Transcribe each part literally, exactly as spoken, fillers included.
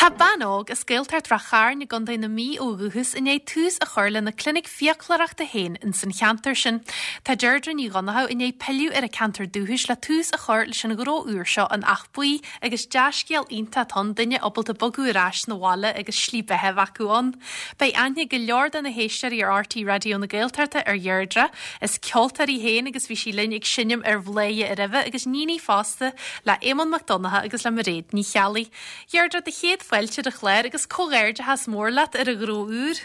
Tá bean óg as Gaeltacht Ráth Chairn i gContae na Mí ó dhúchas i ndiaidh tús a chur lena clinic fiaclóireachta féin in san cheantar sin. Tá Deirdre Ní Dhonnchadha i ndiaidh pilleadh ar a ceantar dúchais le tús a chur leis an ghnó úr seo in Áth Buí agus dea-scéal iontach ann duine ábalta bogadh ar ais 'na bhaile agus slí beatha acu ann. Beidh aithne go leor de na héisteoirí ar R T Raidió na Gaeltachta ar Dheirdre, is ceoltóir í féin agus bhí sí linn ag seinm ar Bhladhaire roimhe agus níon í fosta le Éamonn Mac Donncha agus le Mairéad Ní Cheallaigh. Deirdre, do chéad fáilte ar an chlár agus comhghairdeachas mór leat ar an ghnó úr.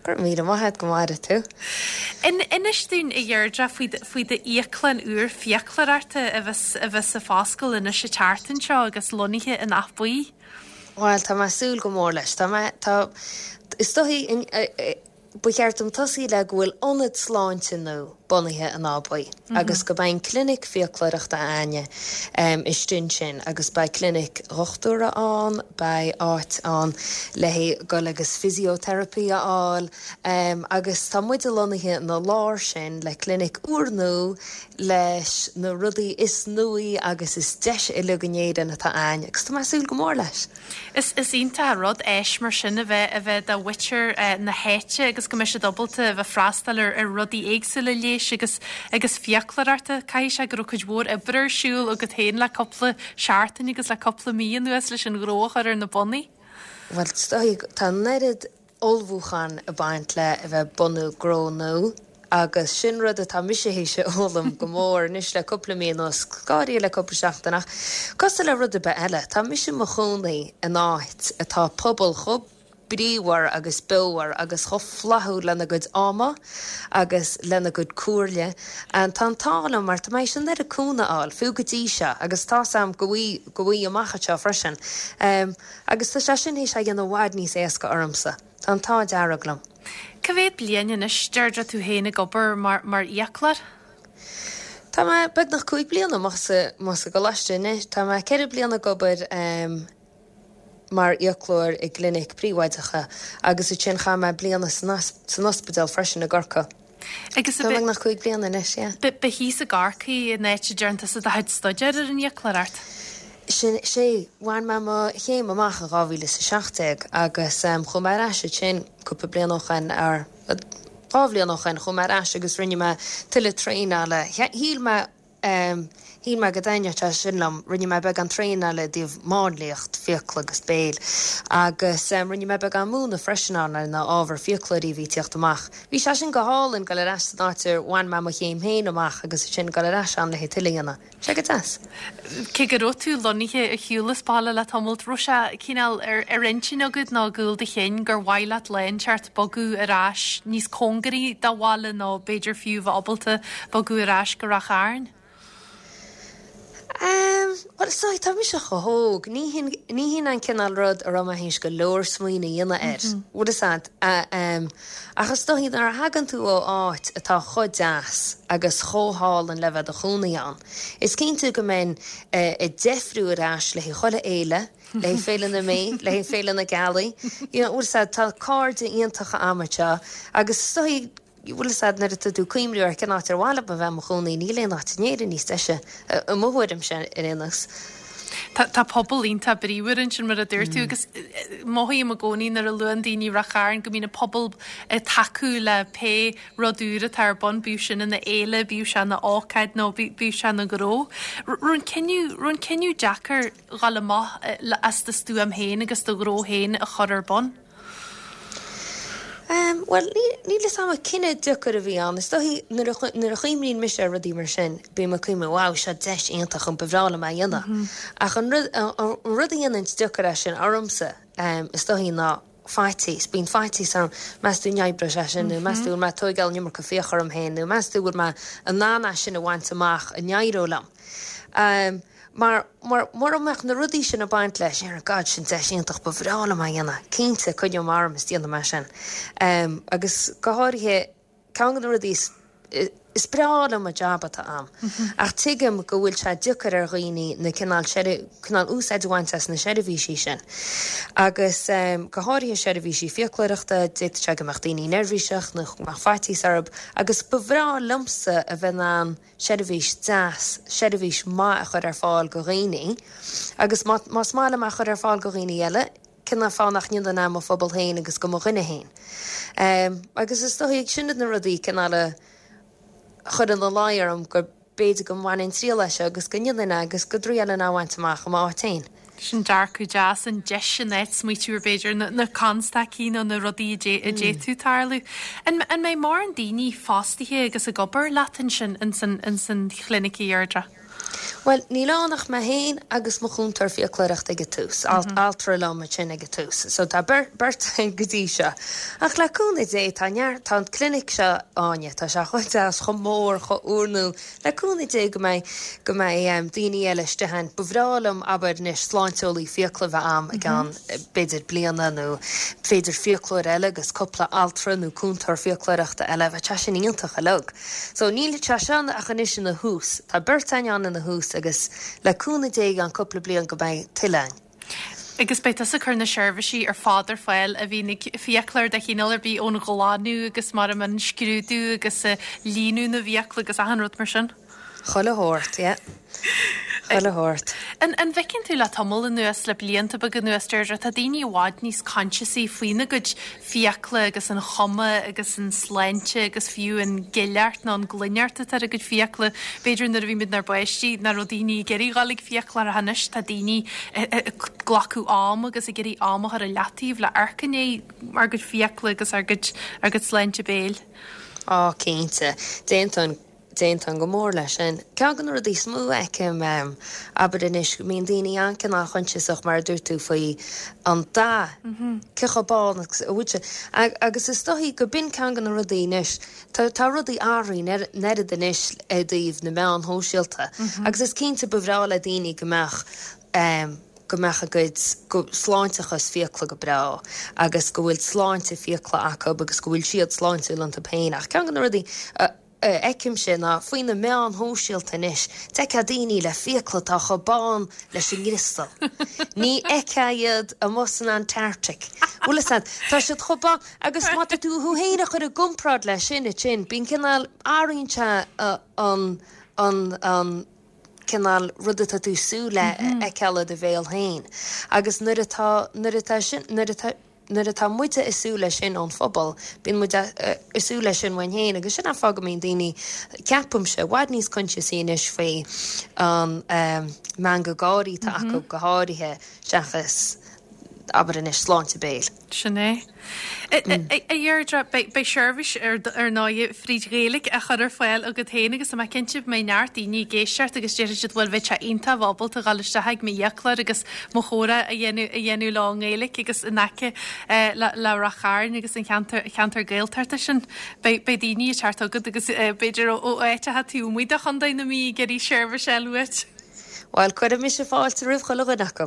Gur míle maith go maire tú. In inis dúinn a Dheirdre faoi d'íoclann úr fiaclóireachta a bheas a bheas ag foscailt anois an tseachtain seo agus lonnaithe in Áth Buí. Bhuel, tá mé ag súil go mór leis. Tá mé tá is dóichí ba cheart dom tosaí le go bhfuil ionad sláinte nua bunaithe in Áth Buí agus go mbeidh an clinic fiaclóireachta againne um, istigh ansin agus beidh clinic dhochtúra ann, beidh áit ann le dul agus physiotherapy a fháil um, agus tá muid lonnaithe ina lár sin le clinic úrnua leis na rudaí is nuaí agus is deise uilig in Éirinn atá ann agus tá mé ag súil go mór leis. Is is iontach rud éis mar sin a bheith a bheith do mhuintir uh, na háite agus go mbeidh siad ábalta a bheith freastal ar, ar rudaí éagsúla leighis agus agus fiaclóireachta caithfidh sé go raibh cuid mhór oibre ar siúl agat féin le cúpla seachtain agus le cúpla mí anuas leis an ghnó a chur ar na bonnaí. Well tá an oiread ullmhúchán ag baint le a bheith bunú gnó nua agus sin rud atá mise théis a fhoghlaim go mór anois le cúpla mí anuas gáirí le cúpla seachtain ach cosúil le rud ar bith eile, Tá mise i mo chónaí in áit atá pobal chomh bríomhar agus beomhar agus chomh flaithiúil lena gcuid ama agus lena gcuid comhairle. An tá an t-ádh liom mar tá mé sin ar a cúnamh a fháil fiú go dtí seo agus tá sam go go bhfuí amach seo freisin. Um, agus tá sé sin théis é a dhéanamh i bhfad níos éasca ormsa. Tá an t-ádh dearg liom. Cá mhéad bliain anois Deirdre tú féin ag obair mar, mar fhiaclóir? Tá mé beagnach cúig bliana más sa gcoláiste anois, Tá mé ceithre bliana ag obair um, mar fhiaclóir i gclinic príobháideach agus ansin chaith mé bliana san ospidéal freisin i gCorcaigh. Agus Tá nach cúig bliana anois, yeah. Ba thíos i gCorcaigh an áit a ndearna tusa do chuid staidéir ar an fhiaclóireacht. Sin sé bhain mé mo chéim amach in dhá mhíle is a seacht déag agus um, chuaigh mé ar ais ansin cúpla bliain ó shin ar dhá bhliain ó shin chuaigh mé ar ais agus rinne mé tuilleadh traenála. Shíl mé um, Shíl mé go dtaitneodh sé sin liom, rinne mé beagán traenála i dtaobh máinliacht fiacla agus béil. Agus um, rinne mé beagán múineadh freisin ann ar na ábhar fiaclóirí bhí ag tíocht amach. Bhí sé sin go hálainn dul ar ais san áit ar bhain mé mo chéim féin amach agus sin dul ar ais ann le tuilleadh a dhéanamh. Sé go deas. Cé go raibh tú lonnaithe ar shiúl as baile le tamall raibh sé cineál ar ar intinn agat nó i gcúl do chinn gur mhaith leat lá inteacht bogadh ar ais níos cóngaraí do bhaile nó b'fhéidir fiú bheith ábalta bogadh ar ais go Ráth Chairn. Um, well, so, tá mise chomh hóg, ní hin an cineál rud a raibh mé théis go leor smaoineamh a dhéanamh air. Bhfuil a fhios agat, um, ach is dóichí nuair a thagann tú ó áit atá chomh deas agus chomh hálainn le bheith i do chónaí ann. Is cinnte go mbeinn uh, ag deifriú ar ais le chuile fhéile, le Féile na Mí, le Féile na Gealaí. You know, bhfuil a fhios agat, tá cairde iontacha agam anseo agus is dóichí bhfuil a fhios agat nuair atá tú ag cuimhneamh ar cén áit ar mhaith liom a bheith i mo chónaí níl aon áit in Éirinn níos deise i mo thuairimse ar aon nós. Tá tá pobal iontach bríomhar ansin mar a dúirt tú agus mothaím i gcónaí nuair a luann daoine Ráth Chairn go mbíonn an pobal ag tacú le pé rud úr atá ar bun bíodh sin ina fhéile, bíodh sé ina ócáid nó bíodh sé ina ghnó. Raibh an cinneadh raibh an cinneadh deacair dul amach as do stuaim féin agus do ghnó féin a chur ar bun. Um, well, níl a fhios agam cinneadh deacair a bhí ann. Is dóichí nuair a chuimhníonn mise ar rudaí mar sin, bím ag cuimhneamh wow seo deis iontach an ba bhreá liom é a dhéanamh. Ach an rud a dhéanann deacair é sin ormsa um, is dóichí ná faitíos, bíonn faitíos orm meas tú an oibreoidh sé sin nó meas tú mé tógáil an iomarca fiach orm féin nó meas tú bhfuil mé in ann sin a bhaint amach an éireoidh liom. Um, mar mar mar mbeadh na rudaí sin ag baint leis ar God sin deis iontach ba bhreá liom é a dhéanamh, cinnte coinneoidh mé orm is déanfaidh mé sin. Um, agus go háirithe ceann de na rudaí is, is breá liom an jab atá agam. Ach tuigim go bhfuil sé deacair ar dhaoine na cineál cineál úsáid a bhaint as na seirbhísí sin. Agus um, go háirithe seirbhísí fiaclóireachta, d'fhéadfadh sé go mbeadh daoine neirbhíseach nó go mbeadh faitíos orthu, agus ba bhreá liomsa a bheith in ann seirbhís deas, seirbhís maith a chur ar fáil go dhaoine, agus más maith liom a chur ar fáil go dhaoine eile, Cén fáth nach ndéanfainn é mo phobal féin agus go mo dhuine féin. Agus is dóigh sin iad na rudaí cineál a chuir ina luí orm go b'fhéidir go mbainfinn triail as seo agus go ndéanfainn é agus go dtriailfinn é a bhaint amach i m'áit féin. Sin dearcadh deas, an deis in áit smaoitiú ar b'fhéidir na constaicí nó na rudaí a d'fhéadfadh tarlú. An mbeidh mórán daoine fostaithe agus ag obair leat ansin ins an chlinic, a Dheirdre? Bhuel, níl ann ach mé féin agus mo chúntóir fiaclóireachta ag an tús, altra liom ansin ag an tús. So tá beirt againn go dtí seo. Ach le cúnamh Dé, tá neart, tá an clinic seo, Áine, tá sé chomh deas, chomh mór, chomh úrnua, le cúnamh Dé go mbeidh, go mbeidh daoine eile istigh ann. Ba bhreá liom, abair anois, sláinteolaí fiacla a bheith a'm i gceann b'fhéidir bliana nó b'fhéidir fiaclóir eile agus cúpla altra nó cúntóir fiaclóireachta eile, bheadh sé sin iontach uilig. So níl sé seo ach anois ina thús. Tá beirt againn ann ina thús agus le cúnamh Dé i gceann cúpla bliain go mbeidh tuilleadh ann. Agus beidh tusa ag cur na seirbhísí ar fad ar fáil a bhíonn ag fiaclóir de chineál ar bith ón ghlanadh agus mar an scrúdú agus líonadh na bhfiacla agus achan rud mar sin. Chuile shórt, yeah. Chuile shórt. An an bhfeiceann tú le tamall anuas le blianta beaga anuas Deirdre, tá daoine i bhfad níos coinsiasaí faoina gcuid fiacla agus an chuma agus an sláinte agus fiú an ghileacht nó an ghlaineacht atá ar a gcuid fiacla. B'fhéidir nuair a bhí muid inár bpáistí nach raibh daoine ag iarraidh dul ag fiaclóir ach anois tá daoine ag glacadh am agus ag iarraidh am a chur i leataobh le amharc i ndiaidh ár gcuid fiacla agus ár gcuid ár gcuid sláinte béil. Á cinnte, déanann Déanann go mór leis sin. Ceann de na rudaí is mó a fheicim abair anois go mbíonn daoine an-cineál coinsiasach mar a dúirt tú faoi an dath, cé chomh bán agus a bhfuil sé. Agus is dóichí go b'in ceann de na rudaí anois, tá tá rudaí athraithe an oiread anois i dtaobh na meáin shóisialta agus is cinnte ba bhreá le daoine go mbeadh go mbeadh a gcuid go sláinteachas fiacla go breá agus go bhfuil sláinte fiacla acu agus go bhfuil siad sláintiúil iontu féin ach ceann de na rudaí a fheicimse ná faoi na meáin shóisialta anois, d'fheicfeá daoine le fiacla atá chomh bán leis an gcriostal. Ní fheicfeá iad amuigh san Antarctic. Bhfuil a fhios agat, tá siad chomh bán agus má tá tú thú féin a chur i gcomparáid leis sin ansin, bíonn cineál athraíonn sé an an an cineál rud atá tú ag súil le a fheiceáil i do bhéal féin. Agus nuair atá nuair atá sin nuair atá nuair atá muide ag súil leis sin ón phobal, bíonn muid ag súil leis sin uainn féin agus sin an fáth go mbíonn daoine, ceapaimse, i bhfad níos coinsiasaí anois faoi an meangadh gáirí atá acu go háirithe seachas abair anois sláinte béil. Sin é. A Dheirdre, beidh seirbhís ar ndóigh fríd Ghaeilge á chur ar fáil agat féin agus tá mé cinnte go mbeidh neart daoine ag éisteacht agus déarfaidh siad bhuel bheadh sé iontach ábalta dhul isteach ag m'fhiaclóir agus mo chomhrá a dhéanamh a dhéanamh leo i nGaeilge agus in aice le le Ráth Chairn agus an cheantar cheantar Gaeltachta sin. Beidh beidh daoine ag teacht chugat agus b'fhéidir ó áiteacha taobh amuigh de Chontae na Mí ag iarraidh seirbhís a fháil uait. Bhuel, cuirfidh mise fáilte roimh chuile dhuine acu.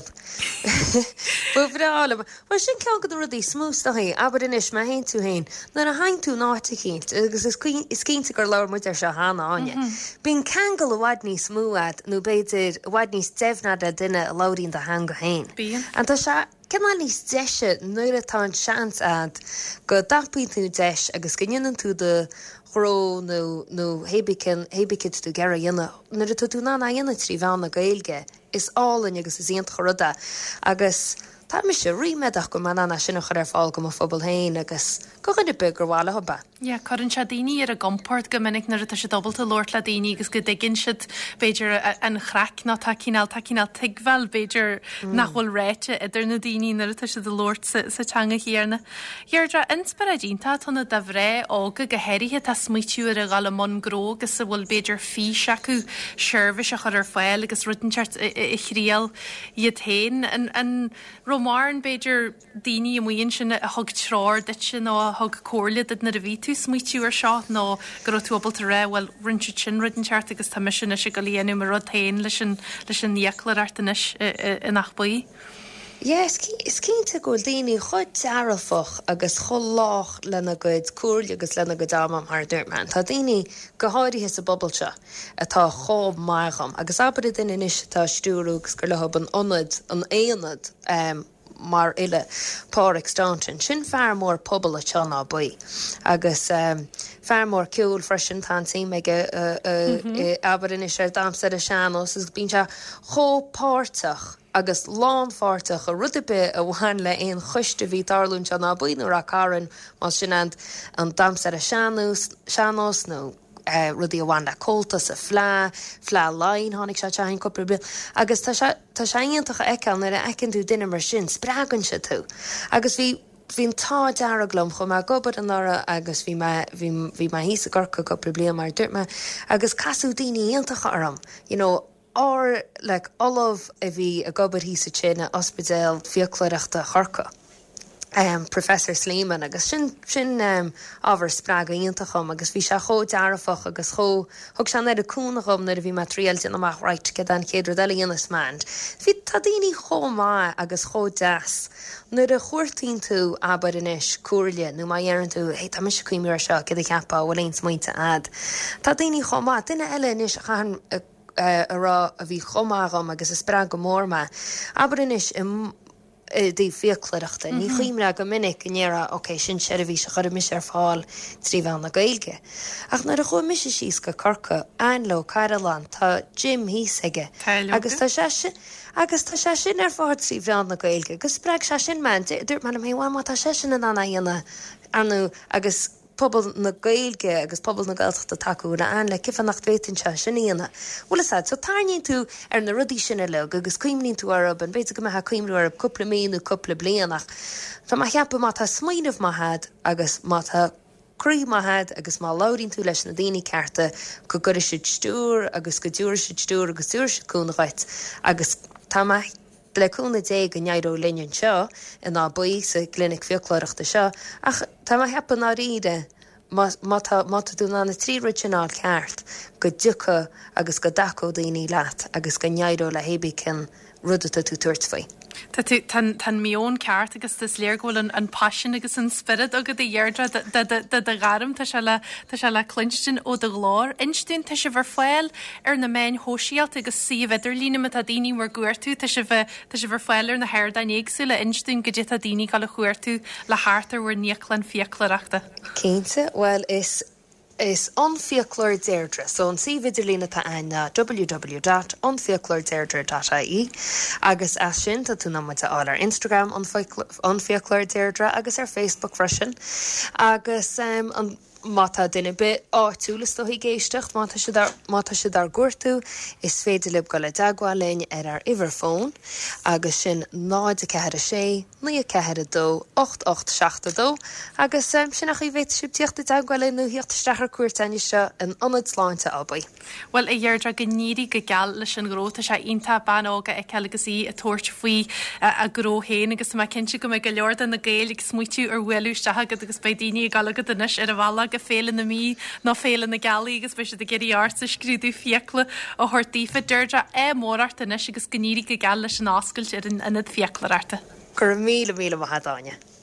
Ba bhreá liom. Bhuel, sin ceann de na rudaí is mó is dóichí, abair anois, má théann tú féin, nuair a théann tú in áit eicínt, agus is is cinnte gur labhair muid air seo cheana, Áine, bíonn ceangal i bhfad níos mó a'd nó b'fhéidir i bhfad níos deimhne a'd le duine a labhraíonn do theanga féin. Bíonn. And tá sé cineál níos deise nuair atá an seans a'd go dtapaíonn tú deis agus go ndéanann tú do ghnó nó nó hébí cén hébí cad tú ag iarraidh a dhéanamh nuair atá tú in ann é a dhéanamh trí mheán na Gaeilge is álainn agus is iontach an rud é agus tá mise ríméadach go mbeidh in ann é sin a chur ar fáil go mo phobal féin agus go dhuine ar bith gur mhaith leo é. Yeah, cuireann sé daoine ar a gcompord go minic nuair atá siad ábalta labhairt le daoine agus go dtuigeann siad b'fhéidir an chraic nó tá cineál tá cineál tuigbheáil b'fhéidir nach bhfuil ráite idir na daoine nuair atá siad ag labhairt sa, sa teanga chéanna. Dheirdre, inspioráid iontach atá ann do mhná óga go háirithe atá ag smaoitiú ar a dhul i mbun gnó agus a bhfuil b'fhéidir fís acu seirbhís a chur ar fáil agus rud inteacht a thriail iad féin. An, an raibh mórán b'fhéidir daoine amuigh ansin a thug treoir duitse nó a thug comhairle duit nuair a bhí tú ag smaoitiú ar seo nó go raibh tú ábalta rá bhuel rinne siad sin rud inteacht agus tá mise anois ag dul a dhéanamh mo rud féin leis an leis an fhiaclóireacht anois in Áth Buí. Yeah, is is cinnte go bhfuil daoine chomh dearfach agus chomh lách lena gcuid comhairle agus lena gcuid ama mar a dúirt mé. Tá daoine go háirithe sa bpobal seo atá chomh maith dhom agus abair duine anois atá stiúrú agus gur leo an ionad an aonad um, mar uile Pádraig Staunton. Sin fear mór pobal anseo in Áth Buí. Agus um, fear mór ceoil freisin tá an-suim aige uh, uh, mm -hmm. abair anois ar damhsa ar an sean-nós agus bíonn sé chomh páirteach agus lánpháirteach i rud ar bith a bhain le aon choiste a bhí ag tarlú anseo in Áth Buí nó Ráth Cairn, más sin an damhsa ar an sean-nós nó rudaí a bhain le Comhaltas, an Fleadh, Fleadh Laighean, tháinig sé isteach cúpla bliain agus tá sé tá sé iontach a fheiceáil nuair a fheiceann tú duine mar sin, spreagann sé tú. Agus bhí bhí an t-ádh dearg liom, chuaigh mé ag obair anuraidh agus bhí mé bhí bhí mé thíos i gCorcaigh cúpla bliain mar a dúirt mé agus casadh daoine iontacha orm, you know, ár like ollamh a bhí ag obair thíos ansin in Ospidéal Fiaclóireachta Chorcaí. Um, Professor Sleeman agus sin sin um, ábhar spreagadh iontach dom agus bhí sé chomh dearfach agus chomh thug sé an oiread cúnamh dhom nuair a bhí mé ag triail déanamh amach right céard an chéad rud eile a dhéanfas mé and bhí tá daoine chomh maith agus chomh deas nuair a chuartaíonn tú abair anois comhairle nó má dheireann tú hey tá mise ag cuimhneamh ar seo céard a cheapfá bhfuil aon smaointe a'd tá daoine chomh maith duine eile anois a chaitheann a rá a bhí chomh maith dhom agus a spreag go mór mé abair anois i i dtaobh fiaclóireachta. Ní chuimhneofá go minic go ndéarfá ok, sin seirbhís a chuirfidh mise ar fáil trí mheán na Gaeilge. Ach nuair a chuaigh mise síos go Corcaigh, Ainle Ó Cairealláin, tá gym thíos aige. Agus tá sé sin agus tá sé sin ar fáil trí mheán na Gaeilge, agus spreag sé sin mé. Dúirt mé liom féin, bhuel má tá seisean in ann é a dhéanamh, ar ndóigh, agus pobal na Gaeilge agus pobal na Gaeltachta tacú le Ainle, cén fáth nach bhféadfainnse sin a dhéanamh? Bhfuil fhios a'd, so tarraingíonn tú ar na rudaí sin uilig agus cuimhníonn tú orthu, and b'fhéidir go mbeifeá ag cuimhniú orthu cúpla mí nó cúpla bliain ach tá mé a cheapadh má tá smaoineamh maith a'd agus má tá croí maith a'd agus má labhraíonn tú leis na daoine cearta go gcuirfidh siad stiúir agus go dtabharfaidh siad stiúir agus tabharfaidh siad cúnamh dhuit agus tá mé le cúnamh Dé go n-éireoidh linn anseo in Áth Buí sa gclinic fiaclóireachta seo ach tá mé a cheapadh i ndáiríre má má tá má tá tú in ann na trí rud sin a fháil ceart go dtiocfaidh agus go dtacóidh daoine leat agus go n-éireoidh le hébí cén rud atá tú tabhairt faoi. Tá tú tá an tá an meon ceart agus is léir go bhfuil an an paisean agus an spiorad agat a Dheirdre do do do do ghairm tá sé le tá sé le cluinstin ó do ghlór. Inis dúinn tá sibh ar fáil ar na meáin shóisialta agus suíomh idirlín má tá daoine bhur gcuartú tá sibh tá sibh ar fáil ar na hardáin éagsúla inis dúinn goidé tá daoine ag gabháil a chuartú le theacht ar bhur n-íoclann fiaclóireachta. Cinnte, bhuel is is An Fiaclóir Deirdre, so an suíomh idirlín atá ann ná www dot anfiacloirdeirdre dot ie agus as sin tá tú in ann muid a fháil ar Instagram an Fiaclóir Deirdre agus ar Facebook freisin agus um, an má tá duine ar bith áitiúil is dóigh ag éisteacht má tá siad má tá siad ár gcuartú is féidir libh dul i dteagmháil linn ar ár uimhir fóin agus sin náid a ceathair a sé naoi a ceathair a dó ocht ocht seacht a dó agus sin an chaoi a bhféadfaidh sibh tíocht i dteagmháil linn nó thíocht isteach ar cuairt anseo in Ionad Sláinte Áth Buí. Bhuel a Dheirdre go n-éirí go geal leis an ghnó tá sé iontach bean óg a fheiceáil agus í ag tabhairt faoi a gnó féin agus tá mé cinnte go mbeidh go leor de na Gaeil ag smaoitiú ar bhualadh isteach agat agus beidh daoine ag dul agat anois ar a bhealach go Féile na Mí nó Féile na Gealaí agus beidh siad ag iarraidh ortsa scrúdú fiacla a thabhairt daofa. Deirdre ádh mór ort anois agus go n-éirí go geal leis an oscailt ar an ionad fiaclóireachta. Go raibh míle míle maith agat Áine.